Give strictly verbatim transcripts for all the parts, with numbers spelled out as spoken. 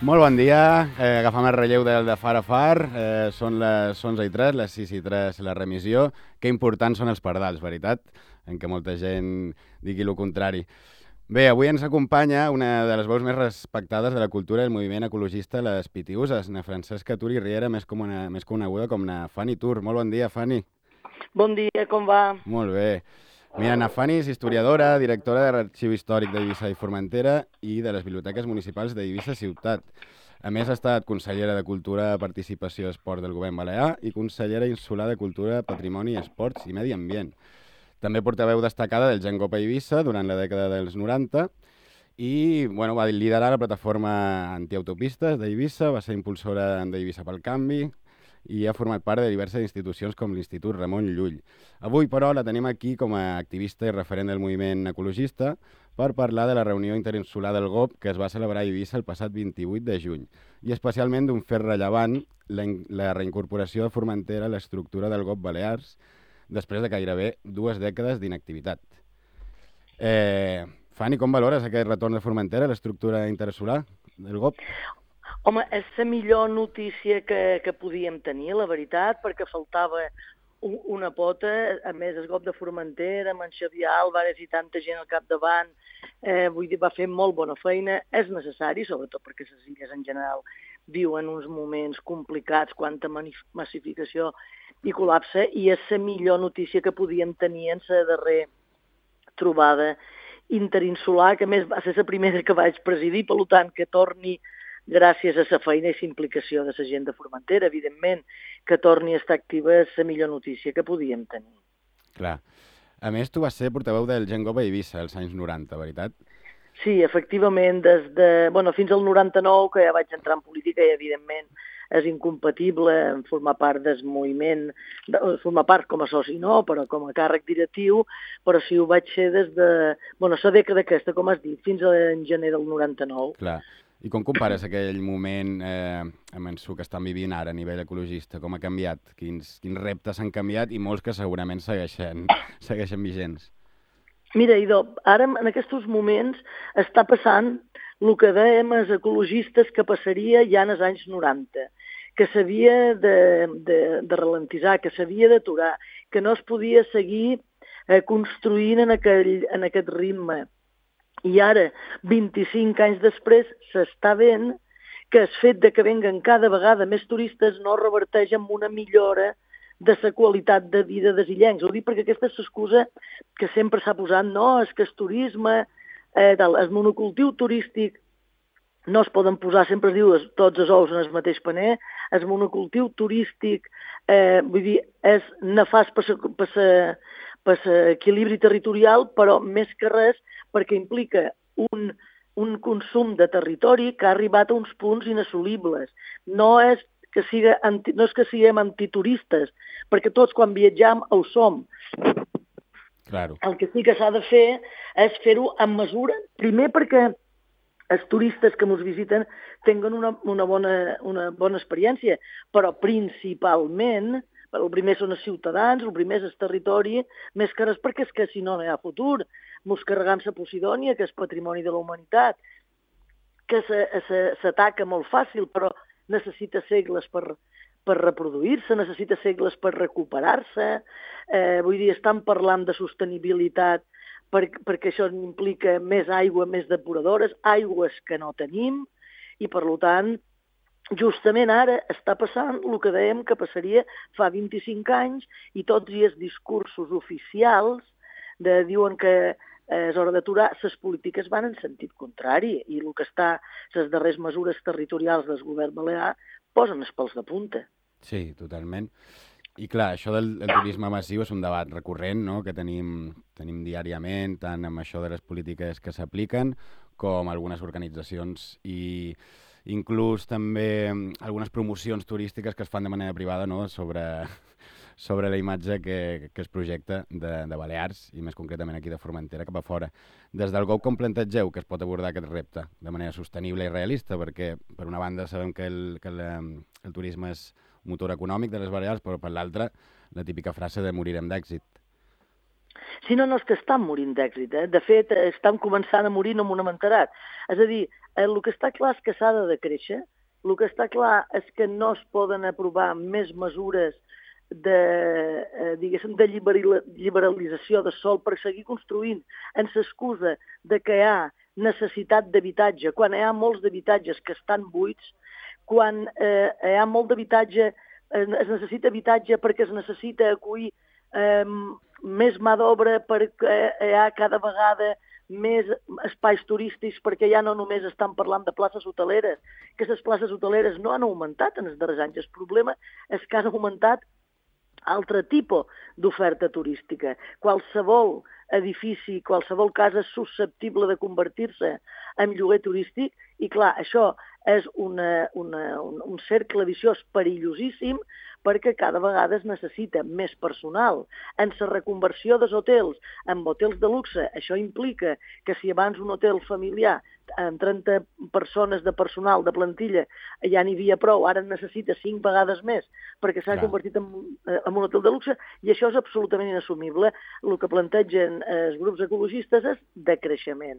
Molt bon dia, eh, agafam el relleu del de Far a Far, eh, són les onze i tres, les sis i tres la remissió. Que importants són els pardals, veritat? En què molta gent digui el contrari. Bé, avui ens acompanya una de les veus més respectades de la cultura i el moviment ecologista, les Pitiuses, na Francesca Tur i Riera, més, com una, més coneguda com na Fanny Tur. Molt bon dia, Fanny. Bon dia, com va? Molt bé. Mira, na Fanny és historiadora, directora de l'Arxiu Històric d'Eivissa i Formentera i de les Biblioteques Municipals d'Eivissa Ciutat. A més, ha estat consellera de Cultura, Participació i Esport del Govern Balear i consellera insular de Cultura, Patrimoni, Esports i Medi Ambient. També portaveu destacada del Gen Cop a Eivissa durant la dècada dels noranta i bueno, va liderar la plataforma antiautopistes d'Eivissa, va ser impulsora d'Eivissa pel Canvi i ha format part de diverses institucions com l'Institut Ramon Llull. Avui, però, la tenim aquí com a activista i referent del moviment ecologista per parlar de la reunió interinsular del G O P que es va celebrar a Eivissa el passat vint-i-vuit de juny i especialment d'un fet rellevant, la, la reincorporació de Formentera a l'estructura del G O P Balears després de gairebé dues dècades d'inactivitat. Eh, Fanny, com valores aquest retorn de Formentera a l'estructura interinsular del G O P? Home, és la millor notícia que, que podíem tenir, la veritat, perquè faltava un, una pota. A més, el G O P de Formentera, amb en Xavier Álvarez i tanta gent al capdavant, eh, vull dir, va fer molt bona feina. És necessari, sobretot perquè les illes en general viuen uns moments complicats quant a massificació i col·lapse, i és la millor notícia que podíem tenir en la darrera trobada interinsular, que a més va ser la primera que vaig presidir, per tant, que torni, gràcies a la feina i la implicació de la gent de Formentera, evidentment, que torni a estar activa és la millor notícia que podíem tenir. Clar. A més, tu vas ser portaveu del Gen Cop a Eivissa als anys noranta, veritat? Sí, efectivament, des de, bueno, fins al noranta-nou, que ja vaig entrar en política i, evidentment, és incompatible en formar part del moviment, de, formar part com a soci no, però com a càrrec directiu, però sí ho vaig ser des de, bueno, la dècada aquesta, com has dit, fins en gener del noranta-nou. Clar. I com compares aquell moment eh, amb el que estan vivint ara a nivell ecologista? Com ha canviat? Quins, quins reptes han canviat i molts que segurament segueixen, segueixen vigents? Mira, Idò, ara en aquests moments està passant el que dèiem els ecologistes que passaria ja en els anys noranta, que s'havia de, de, de ralentitzar, que s'havia d'aturar, que no es podia seguir eh, construint en, aquell, en aquest ritme. I ara, vint-i-cinc anys després, s'està veient que el fet de que venguen cada vegada més turistes no reverteix en una millora de la qualitat de vida dels illencs. Ho dic perquè aquesta és l'excusa que sempre s'ha posat, no, és que el turisme, eh, el monocultiu turístic, no es poden posar, sempre es diu, tots els ous en el mateix paner, el monocultiu turístic, eh, vull dir, és nefast per l'equilibri territorial, però més que res perquè implica un, un consum de territori que ha arribat a uns punts inassolibles. No és que, siga anti, no és que siguem antituristes, perquè tots quan viatjam ho som. Claro. El que sí que s'ha de fer és fer-ho amb mesura, primer perquè els turistes que ens visiten tinguin una, una, bona, una bona experiència, però principalment, el primer són els ciutadans, el primer és el territori, més que res perquè és que si no no hi ha futur. Ens carregam la Posidònia, que és patrimoni de la humanitat, que s'ataca molt fàcil, però necessita segles per, per reproduir-se, necessita segles per recuperar-se. Eh, vull dir, estan parlant de sostenibilitat per, perquè això implica més aigua, més depuradores, aigües que no tenim, i per tant, justament ara està passant el que dèiem que passaria fa vint-i-cinc anys, i tots els discursos oficials de, diuen que és hora d'aturar, les polítiques van en sentit contrari, i el que està, les darreres mesures territorials del govern balear posen els pèls de punta. Sí, totalment. I clar, això del, del turisme massiu és un debat recurrent, no?, que tenim, tenim diàriament, tant amb això de les polítiques que s'apliquen com algunes organitzacions i inclús també algunes promocions turístiques que es fan de manera privada, no?, sobre, sobre la imatge que, que es projecta de, de Balears i més concretament aquí de Formentera cap a fora. Des del G O P com plantegeu que es pot abordar aquest repte de manera sostenible i realista? Perquè per una banda sabem que el, que el, el turisme és motor econòmic de les Balears, però per l'altra la típica frase de morirem d'èxit. Si no, no és que estan morint d'èxit. Eh? De fet, estan començant a morir, no m'ho n'hem enterat. És a dir, el que està clar és que s'ha de decréixer, el que està clar és que no es poden aprovar més mesures de, eh, diguéssim, de liberalització de sòl per seguir construint en l'excusa de que hi ha necessitat d'habitatge, quan hi ha molts d'habitatges que estan buits, quan eh, hi ha molt d'habitatge, eh, es necessita habitatge perquè es necessita acollir eh, més mà d'obra, perquè hi ha cada vegada més espais turístics, perquè ja no només estan parlant de places hoteleres, que les places hoteleres no han augmentat en els darrers anys. El problema és que han augmentat altre tipus d'oferta turística. Qualsevol edifici, qualsevol casa és susceptible de convertir-se en lloguer turístic i, clar, això és una, una, un, un cercle viciós perillosíssim perquè cada vegada es necessita més personal. En la reconversió dels hotels en hotels de luxe, això implica que si abans un hotel familiar amb trenta persones de personal, de plantilla, ja n'hi havia prou, ara en necessita cinc vegades més perquè s'ha convertit en, en un hotel de luxe, i això és absolutament inassumible. El que plantegen els grups ecologistes és decreixement.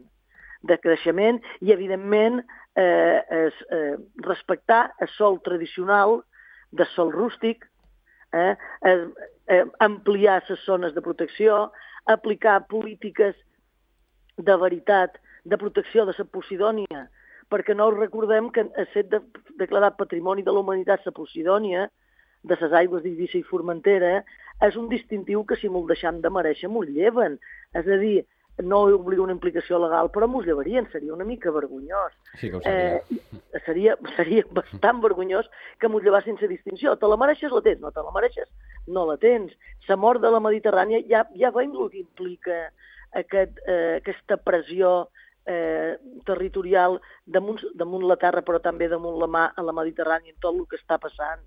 Decreixement i, evidentment, eh, es, eh, respectar el sòl tradicional de sòl rústic, eh, eh, ampliar les zones de protecció, aplicar polítiques de veritat de protecció de la Posidònia, perquè no recordem que ha estat de, declarat Patrimoni de la Humanitat la Posidònia, de les aigües d'Eivissa i Formentera, és un distintiu que, si m'ho deixam de mereixer, m'ho lleven. És a dir, no obliga una implicació legal, però m'ho llevarien, seria una mica vergonyós. Sí que ho seria. Eh, seria, seria bastant vergonyós que m'ho llevassin sense distinció. Te la mereixes, la tens. No te la mereixes, no la tens. La mort de la Mediterrània, ja, ja veiem el que implica aquest, eh, aquesta pressió eh, territorial damunt, damunt la terra, però també damunt la mà a la Mediterrània, en tot el que està passant,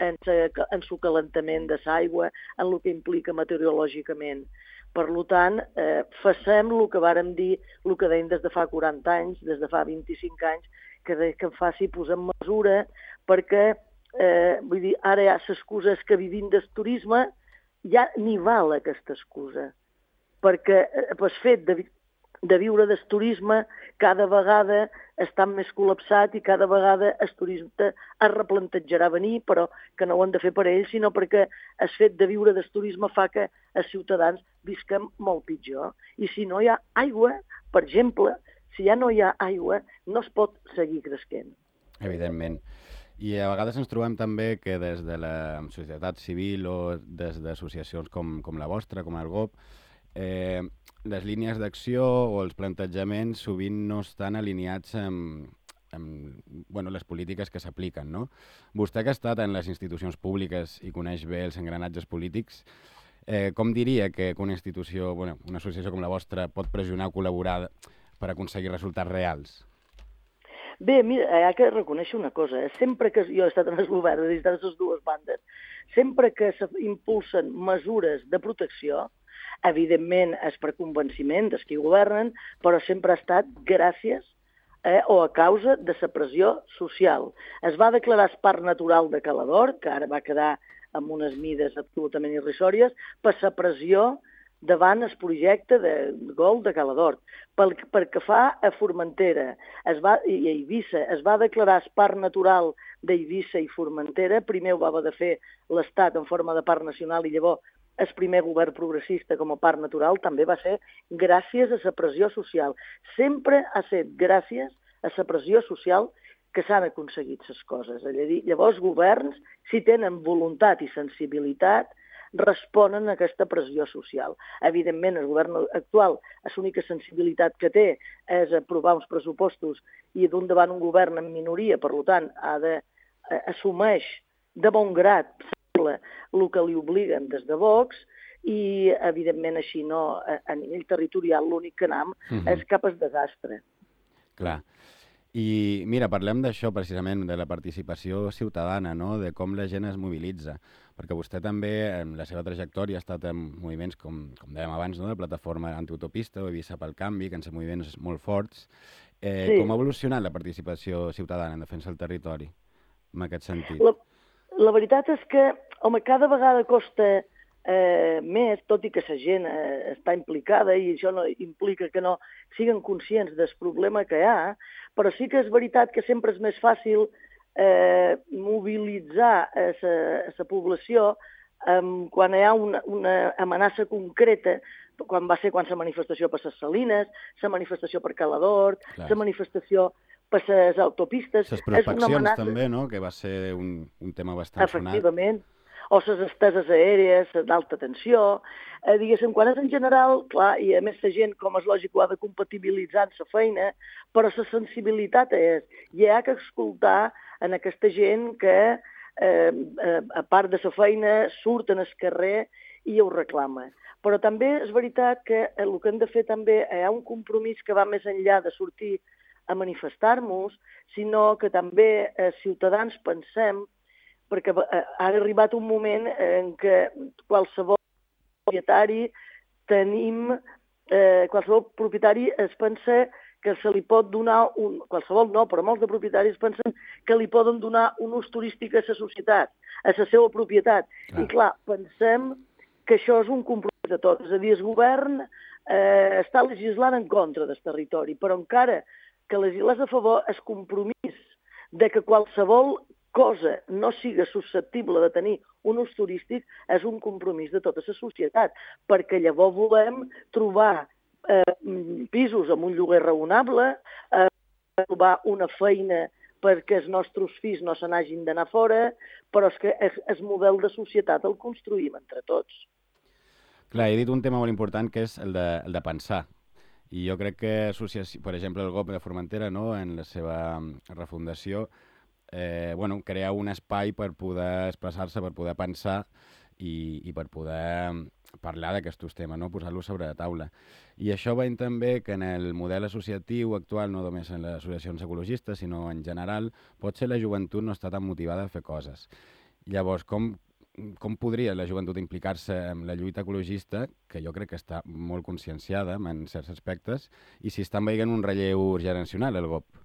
en el calentament de l'aigua, en el que implica meteorològicament. Per tant, eh, facem el que vàrem dir, el que deim des de fa quaranta anys, des de fa vint-i-cinc anys, que, de, que faci posar en mesura, perquè, eh, vull dir, ara ja l'excusa és que vivim del turisme, ja ni val aquesta excusa, perquè eh, el fet de, de viure del turisme cada vegada està més col·lapsat i cada vegada el turista es replantejarà venir, però que no ho han de fer per ells, sinó perquè el fet de viure del turisme fa que els ciutadans visquem molt pitjor. I si no hi ha aigua, per exemple, si ja no hi ha aigua, no es pot seguir cresquent. Evidentment. I a vegades ens trobem també que des de la societat civil o des d'associacions com, com la vostra, com el G O P, eh, les línies d'acció o els plantejaments sovint no estan alineats amb, amb bueno, les polítiques que s'apliquen, no? Vostè que ha estat en les institucions públiques i coneix bé els engranatges polítics, eh, com diria que una institució, bueno, una associació com la vostra pot pressionar o col·laborar per aconseguir resultats reals? Bé, mira, hi ha que reconèixer una cosa. Eh? Sempre que jo he estat en el govern, des de les dues bandes, sempre que s'impulsen mesures de protecció, evidentment és per convenciment dels qui governen, però sempre ha estat gràcies eh, o a causa de la pressió social. Es va declarar el Parc Natural de Cala d'Or, que ara va quedar amb unes mides absolutament irrisòries, per la pressió davant el projecte de Gol de Cala d'Or. Pel, pel que fa a Formentera es va, i a Eivissa, es va declarar el Parc Natural d'Eivissa i Formentera. Primer ho va haver de fer l'Estat en forma de parc nacional i llavors el primer govern progressista com a parc natural també va ser gràcies a la pressió social. Sempre ha estat gràcies a la pressió social que s'han aconseguit les coses. Llavors, governs, si tenen voluntat i sensibilitat, responen a aquesta pressió social. Evidentment, el govern actual, l'única sensibilitat que té és aprovar uns pressupostos i d'un davant un govern en minoria, per tant, ha de, assumeix de bon grat el que li obliguen des de Vox i, evidentment, així no, a nivell territorial l'únic que anam uh-huh. és cap al desastre. Clar. I, mira, parlem d'això precisament, de la participació ciutadana, no? De com la gent es mobilitza, perquè vostè també, en la seva trajectòria, ha estat en moviments, com, com dèiem abans, no? De plataforma antiutopista o Eivissa pel canvi, que en són moviments molt forts. Eh, sí. Com ha evolucionat la participació ciutadana en defensa del territori, en aquest sentit? La... La veritat és que, home, cada vegada costa eh, més, tot i que la gent eh, està implicada i això no implica que no siguin conscients del problema que hi ha, però sí que és veritat que sempre és més fàcil eh, mobilitzar a la població eh, quan hi ha una, una amenaça concreta, quan va ser quan la manifestació per les Salines, la manifestació per Caladort, la manifestació per les autopistes... Les prospeccions amenaça... també, no?, que va ser un, un tema bastant sonat. Efectivament. O les esteses aèries d'alta tensió, eh, diguéssim, quan és en general, clar, i a més la gent, com és lògic, ho ha de compatibilitzar amb la feina, però la sensibilitat és, i hi ha que escoltar en aquesta gent que, eh, eh, a part de la feina, surten al carrer i ho reclama. Però també és veritat que el que hem de fer també hi ha un compromís que va més enllà de sortir a manifestar-nos, sinó que també els ciutadans pensem, perquè ha arribat un moment en què qualsevol propietari tenim, eh, qualsevol propietari es pensa que se li pot donar, un, qualsevol no, però molts de propietaris pensen que li poden donar un ús turístic a la societat, a la seva propietat. Clar. I clar, pensem que això és un compromís de tots. És a dir, el govern eh, està legislant en contra del territori, però encara que legislés a favor, el compromís de que qualsevol cosa no siga susceptible de tenir un ús turístic és un compromís de tota la societat, perquè llavors volem trobar eh, pisos amb un lloguer raonable, eh, trobar una feina perquè els nostres fills no se n'hagin d'anar fora, però és que el model de societat el construïm entre tots. Clar, he dit un tema molt important que és el de, el de pensar. I jo crec que, per exemple, el G O P de Formentera, no?, en la seva refundació, Eh, bueno, crear un espai per poder expressar-se, per poder pensar i, i per poder parlar d'aquests temes, no? Posar-los sobre la taula. I això veiem també que en el model associatiu actual, no només en les associacions ecologistes, sinó en general, potser la joventut no està tan motivada a fer coses. Llavors, com, com podria la joventut implicar-se en la lluita ecologista, que jo crec que està molt conscienciada en certs aspectes, i si estan veient un relleu generacional, el G O P?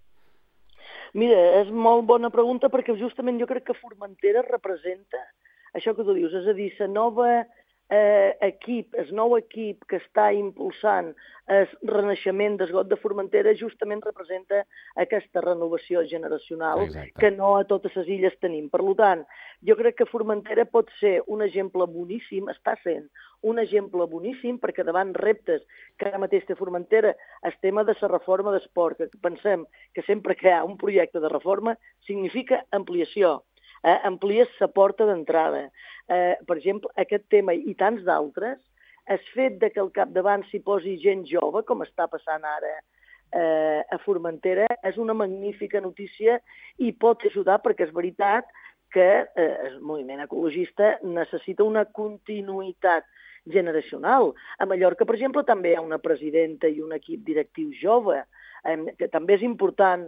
Mira, és molt bona pregunta perquè justament jo crec que Formentera representa això que tu dius, és a dir, la nova eh, equip, el nou equip que està impulsant el renaixement del G O P de Formentera justament representa aquesta renovació generacional. Exacte. Que no a totes les illes tenim. Per tant, jo crec que Formentera pot ser un exemple boníssim, està sent un exemple boníssim, perquè davant reptes que ara mateix té Formentera, el tema de la reforma d'esport, que pensem que sempre que hi ha un projecte de reforma significa ampliació, eh? Amplies la porta d'entrada. Eh, per exemple, aquest tema i tants d'altres, el fet de que al capdavant s'hi posi gent jove, com està passant ara eh, a Formentera, és una magnífica notícia i pot ajudar, perquè és veritat que eh, el moviment ecologista necessita una continuïtat generacional. A Mallorca, per exemple, també hi ha una presidenta i un equip directiu jove, eh, que també és important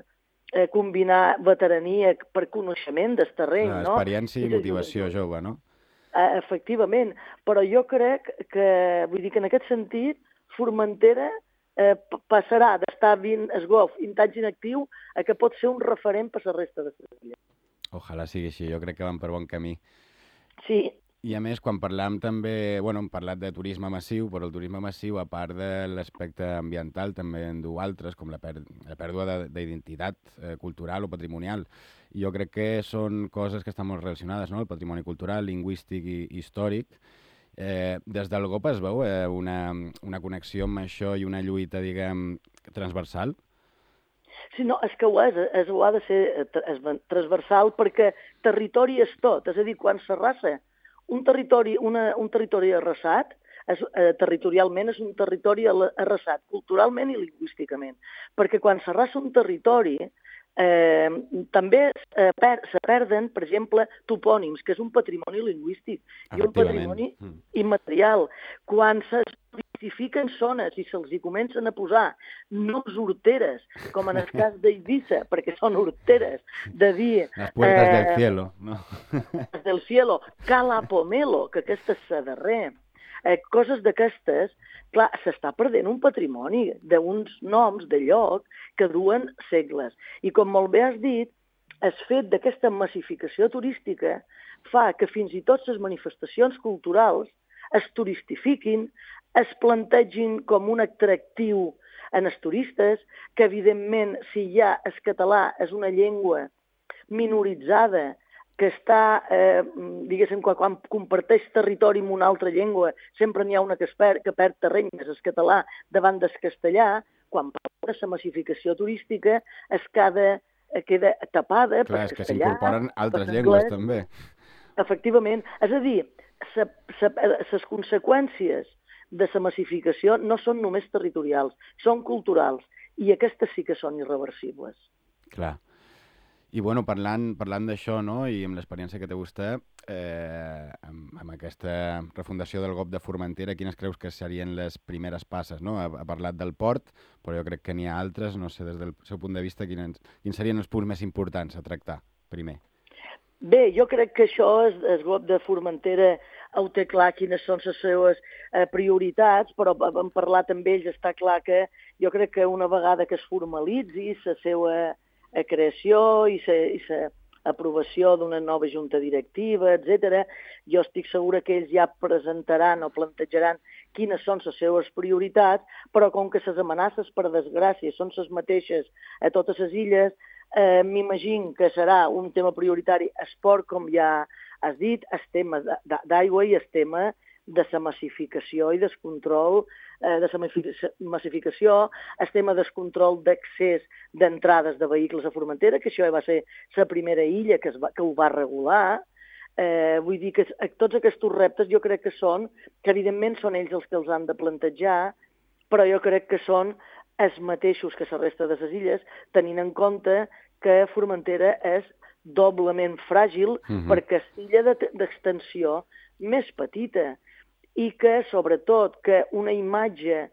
eh, combinar veterania per coneixement del terreny. No, experiència no? i motivació jove, no? Eh, efectivament, però jo crec que, vull dir que en aquest sentit, Formentera eh, passarà d'estar vint esgof, vint anys inactiu, a que pot ser un referent per la resta de les illes. Ojalà sigui així, jo crec que van per bon camí. Sí. I a més, quan parlàvem també, bueno, hem parlat de turisme massiu, però el turisme massiu, a part de l'aspecte ambiental, també en du altres, com la, per la pèrdua d'identitat eh, cultural o patrimonial. I jo crec que són coses que estan molt relacionades, no?, el patrimoni cultural, lingüístic i històric. Eh, des del G O P es veu eh, una, una connexió amb això i una lluita, diguem, transversal? Sí, no, és que ho és, és, ho ha de ser és transversal perquè territori és tot, és a dir, quan s'arrasa un territori, una, un territori arrasat, és, eh, territorialment és un territori arrasat, culturalment i lingüísticament, perquè quan s'arrasa un territori eh, també eh, per, se perden, per exemple, topònims, que és un patrimoni lingüístic i un patrimoni mm. immaterial. Quan se identifiquen zones i se'ls hi comencen a posar noms horteres, com en el cas d'Eivissa, perquè són horteres, de dir... Les puertas eh, del cielo, no? del cielo, Cala Pomelo, que aquesta és la darrer. Eh, coses d'aquestes, clar, s'està perdent un patrimoni d'uns noms de lloc que duen segles. I com molt bé has dit, el fet d'aquesta massificació turística fa que fins i tot les manifestacions culturals es turistifiquin, es plantegin com un atractiu en els turistes, que evidentment si ja el català és una llengua minoritzada, que està, eh, diguéssim, quan, quan comparteix territori amb una altra llengua, sempre n'hi ha una que, es perd, que perd terreny, és el català davant del castellà, quan parla de la massificació turística es queda, queda tapada Clar, per és que castellà, s'incorporen altres per llengües, anglès. també. Efectivament. És a dir, les conseqüències de la massificació no són només territorials, són culturals, i aquestes sí que són irreversibles. Clar. I, bueno, parlant, parlant d'això, no?, i amb l'experiència que té vostè, eh, amb, amb aquesta refundació del G O P de Formentera, quines creus que serien les primeres passes, no? Ha, ha parlat del port, però jo crec que n'hi ha altres, no sé, des del seu punt de vista, quins, quins serien els punts més importants a tractar, primer? Bé, jo crec que això, el G O P de Formentera ho té clar quines són les seves eh, prioritats, però hem parlat amb ells, està clar que jo crec que una vegada que es formalitzi la seva a creació i l'aprovació d'una nova junta directiva, etcètera. Jo estic segura que ells ja presentaran o plantejaran quines són les seves prioritats, però com que les amenaces, per desgràcia, són les mateixes a totes les illes, eh, m'imagino que serà un tema prioritari esport, com ja has dit, el tema d'aigua i el tema de la massificació i del control eh, de la massificació, el tema del control d'accés d'entrades de vehicles a Formentera, que això va ser la primera illa que, es va, que ho va regular. Eh, vull dir que tots aquests reptes jo crec que són, que evidentment són ells els que els han de plantejar, però jo crec que són els mateixos que la resta de les illes, tenint en compte que Formentera és doblement fràgil uh-huh. perquè és l'illa d'extensió més petita, i que, sobretot, que una imatge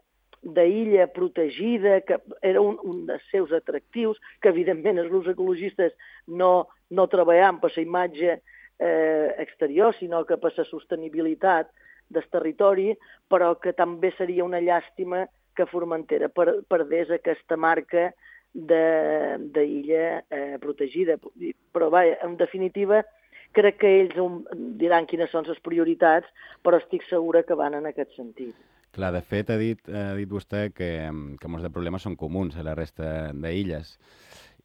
d'illa protegida, que era un, un dels seus atractius, que evidentment els grups ecologistes no, no treballam per la imatge eh, exterior, sinó que per la sostenibilitat del territori, però que també seria una llàstima que Formentera per, perdés aquesta marca d'illa eh, protegida. Però, vaja, en definitiva, crec que ells diran quines són les prioritats, però estic segura que van en aquest sentit. Clar, de fet, ha dit, ha dit vostè que, que molts de problemes són comuns a la resta d'illes.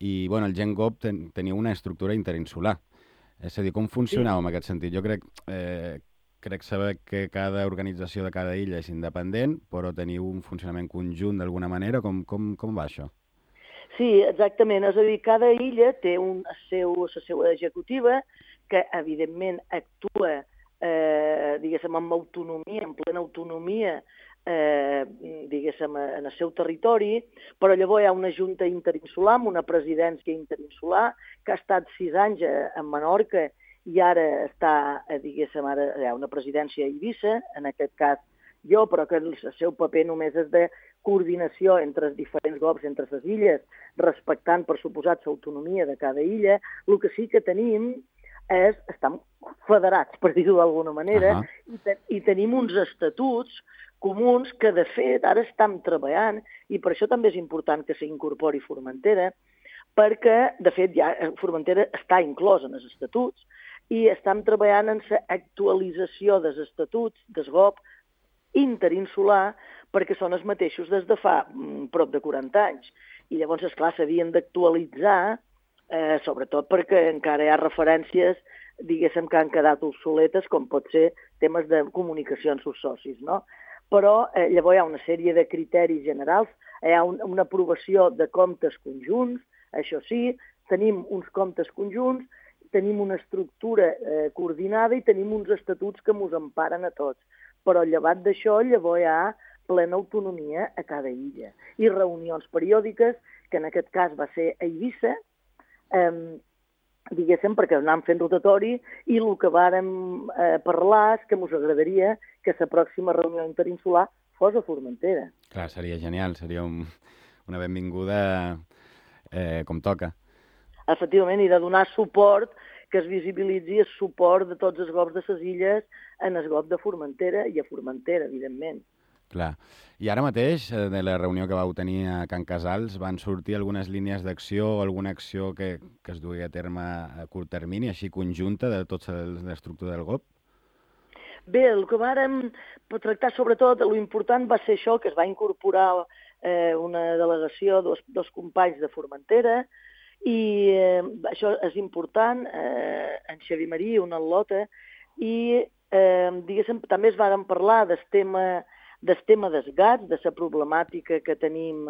I, bueno, el Gen G O P ten, tenia una estructura interinsular. És a dir, com funcionava sí. en aquest sentit? Jo crec, eh, crec saber que cada organització de cada illa és independent, però teniu un funcionament conjunt d'alguna manera. Com, com, com va això? Sí, exactament. És a dir, cada illa té un, seu, la seva executiva, que evidentment actua, eh, diguéssim, amb autonomia, en plena autonomia, eh, diguéssim, en el seu territori, però llavors hi ha una junta interinsular, amb una presidència interinsular, que ha estat sis anys a Menorca i ara està, diguéssim, ara hi ha una presidència a Eivissa, en aquest cas jo, però que el seu paper només és de coordinació entre els diferents G O Ps, entre les illes, respectant, per suposat, l'autonomia de cada illa. El que sí que tenim és, estan federats, per dir-ho d'alguna manera, uh-huh. i, te, i tenim uns estatuts comuns que, de fet, ara estem treballant, i per això també és important que s'incorpori Formentera, perquè, de fet, ja Formentera està inclòs en els estatuts, i estem treballant en l'actualització dels estatuts del G O P interinsular, perquè són els mateixos des de fa mm, prop de quaranta anys. I llavors, esclar, s'havien d'actualitzar, eh, sobretot perquè encara hi ha referències, diguéssim, que han quedat obsoletes, com pot ser temes de comunicació amb els socis, no? Però eh, llavors hi ha una sèrie de criteris generals, hi ha un, una aprovació de comptes conjunts, això sí, tenim uns comptes conjunts, tenim una estructura eh, coordinada i tenim uns estatuts que ens emparen a tots. Però llevat d'això, llavors hi ha plena autonomia a cada illa. I reunions periòdiques, que en aquest cas va ser a Eivissa, eh, diguéssim, perquè anàvem fent rotatori, i el que vàrem eh, parlar és que ens agradaria que la pròxima reunió interinsular fos a Formentera. Clar, seria genial, seria un, una benvinguda eh, com toca. Efectivament, i de donar suport, que es visibilitzi el suport de tots els G O Ps de les illes en el G O P de Formentera i a Formentera, evidentment. Clar. I ara mateix, de la reunió que vau tenir a Can Casals, van sortir algunes línies d'acció o alguna acció que, que es dugui a terme a curt termini, així conjunta de tota l'estructura del G O P? Bé, el que vàrem tractar sobretot, l'important va ser això, que es va incorporar eh, una delegació, dos, dos companys de Formentera, i eh, això és important, eh, en Xavi Marí, una al·lota, i eh, diguéssim, també es varen parlar del tema, del tema dels gats, de la problemàtica que tenim,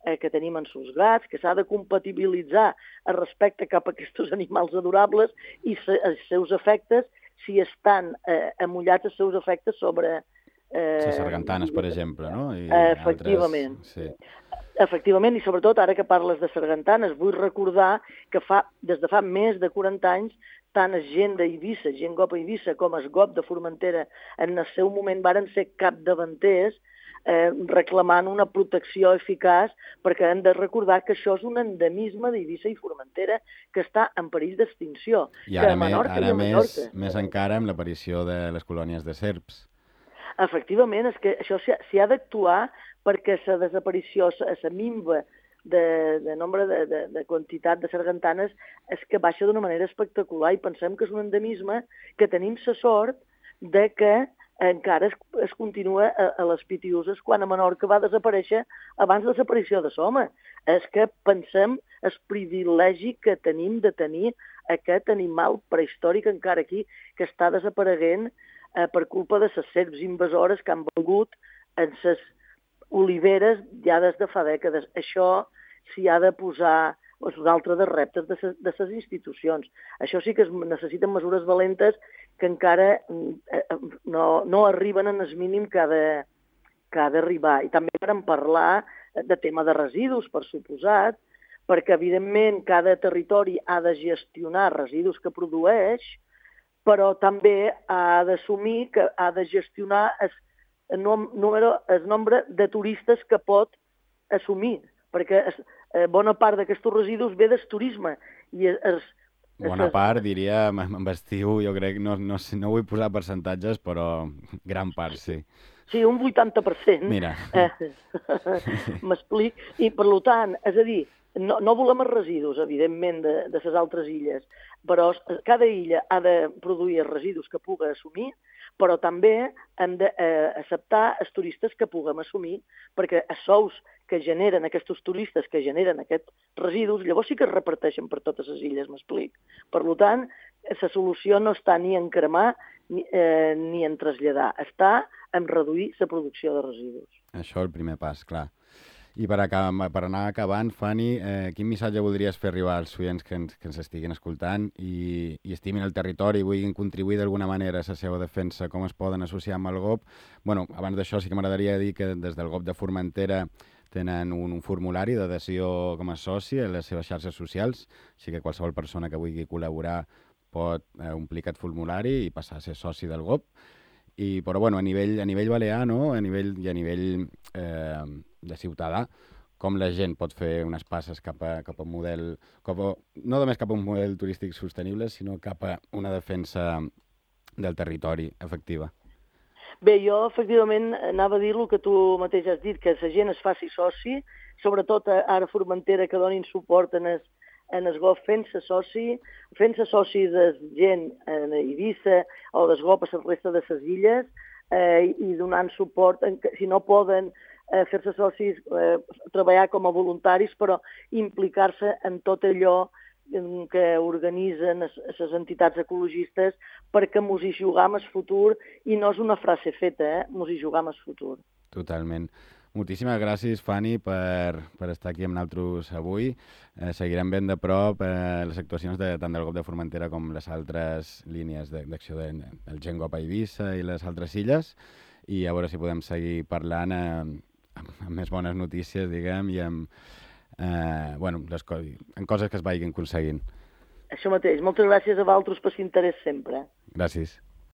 eh, que tenim en sus gats, que s'ha de compatibilitzar el respecte cap a aquests animals adorables i se, els seus efectes, si estan eh, amullats els seus efectes sobre... Eh, les sargantanes, per exemple, no? I efectivament. Altres, sí. Efectivament, i sobretot, ara que parles de sargantanes, vull recordar que fa, des de fa més de quaranta anys, tant el gent d'Eivissa, gent G O P Eivissa, com el G O P de Formentera, en el seu moment varen ser capdavanters eh, reclamant una protecció eficaç, perquè hem de recordar que això és un endemisme d'Eivissa i Formentera que està en perill d'extinció. I ara, me, ara més, més encara amb l'aparició de les colònies de serps. Efectivament, és que això s'hi ha d'actuar perquè la desaparició, la minva de, de nombre de, de, de quantitat de sargantanes és que baixa d'una manera espectacular i pensem que és un endemisme que tenim la sort de que encara es, es continua a, a les Pitiuses quan a Menorca va desaparèixer abans de la desaparició de Soma. És que pensem el privilegi que tenim de tenir aquest animal prehistòric encara aquí que està desapareguent eh, per culpa de les serps invasores que han volgut en les oliveres ja des de fa dècades. Això s'hi ha de posar és un altre dels reptes de les institucions. Això sí que es necessiten mesures valentes que encara no, no arriben en el mínim que ha de, que ha d'arribar. I també vam parlar de tema de residus, per suposat, perquè evidentment cada territori ha de gestionar residus que produeix, però també ha d'assumir que ha de gestionar el el, número, el nombre de turistes que pot assumir, perquè es, eh, bona part d'aquests residus ve del turisme. I es, es, bona es, part, diria, amb estiu, jo crec, no, no, no vull posar percentatges, però gran part, sí. Sí, un vuitanta per cent. Mira. Eh, M'explic. I, per tant, és a dir, no, no volem els residus, evidentment, de, de les altres illes, però cada illa ha de produir els residus que pugui assumir, però també hem d'acceptar eh, els turistes que puguem assumir, perquè els sous que generen aquests turistes, que generen aquests residus, llavors sí que es reparteixen per totes les illes, m'explic. Per tant, la solució no està ni en cremar ni, eh, ni en traslladar, està en reduir la producció de residus. Això és el primer pas, clar. I per, acabar, per anar acabant, Fanny, eh, quin missatge voldries fer arribar als oients que ens, que ens estiguin escoltant i, i estimin el territori i vulguin contribuir d'alguna manera a la seva defensa, com es poden associar amb el G O P? Bueno, abans d'això sí que m'agradaria dir que des del G O P de Formentera tenen un, un formulari d'adhesió com a soci a les seves xarxes socials, així que qualsevol persona que vulgui col·laborar pot eh, omplir aquest formulari i passar a ser soci del G O P. I, però bueno, a nivell, a nivell balear, no? a nivell, i a nivell eh, de ciutadà, com la gent pot fer unes passes cap a, cap a un model, cap a, no només cap a un model turístic sostenible, sinó cap a una defensa del territori efectiva. Bé, jo efectivament anava a dir el que tu mateix has dit, que la gent es faci soci, sobretot ara a Formentera, que donin suport en el, en el G O P fent-se soci, fent-se soci de gent en Eivissa o del G O P a la resta de les illes eh, i donant suport, en, si no poden eh, fer-se socis, eh, treballar com a voluntaris, però implicar-se en tot allò que organitzen les entitats ecologistes perquè mos hi jugam el futur i no és una frase feta, eh? Mos hi jugam el futur. Totalment. Moltíssimes gràcies, Fanny, per, per estar aquí amb nosaltres avui. Eh, seguirem ben de prop eh, les actuacions de, tant del G O P de Formentera com les altres línies d'acció de, del Gent G O P a Eivissa i les altres illes, i a veure si podem seguir parlant eh, amb, amb més bones notícies, diguem, i amb eh, bueno, les co en coses que es vagin aconseguint. Això mateix. Moltes gràcies a vosaltres per l'interès sempre. Gràcies.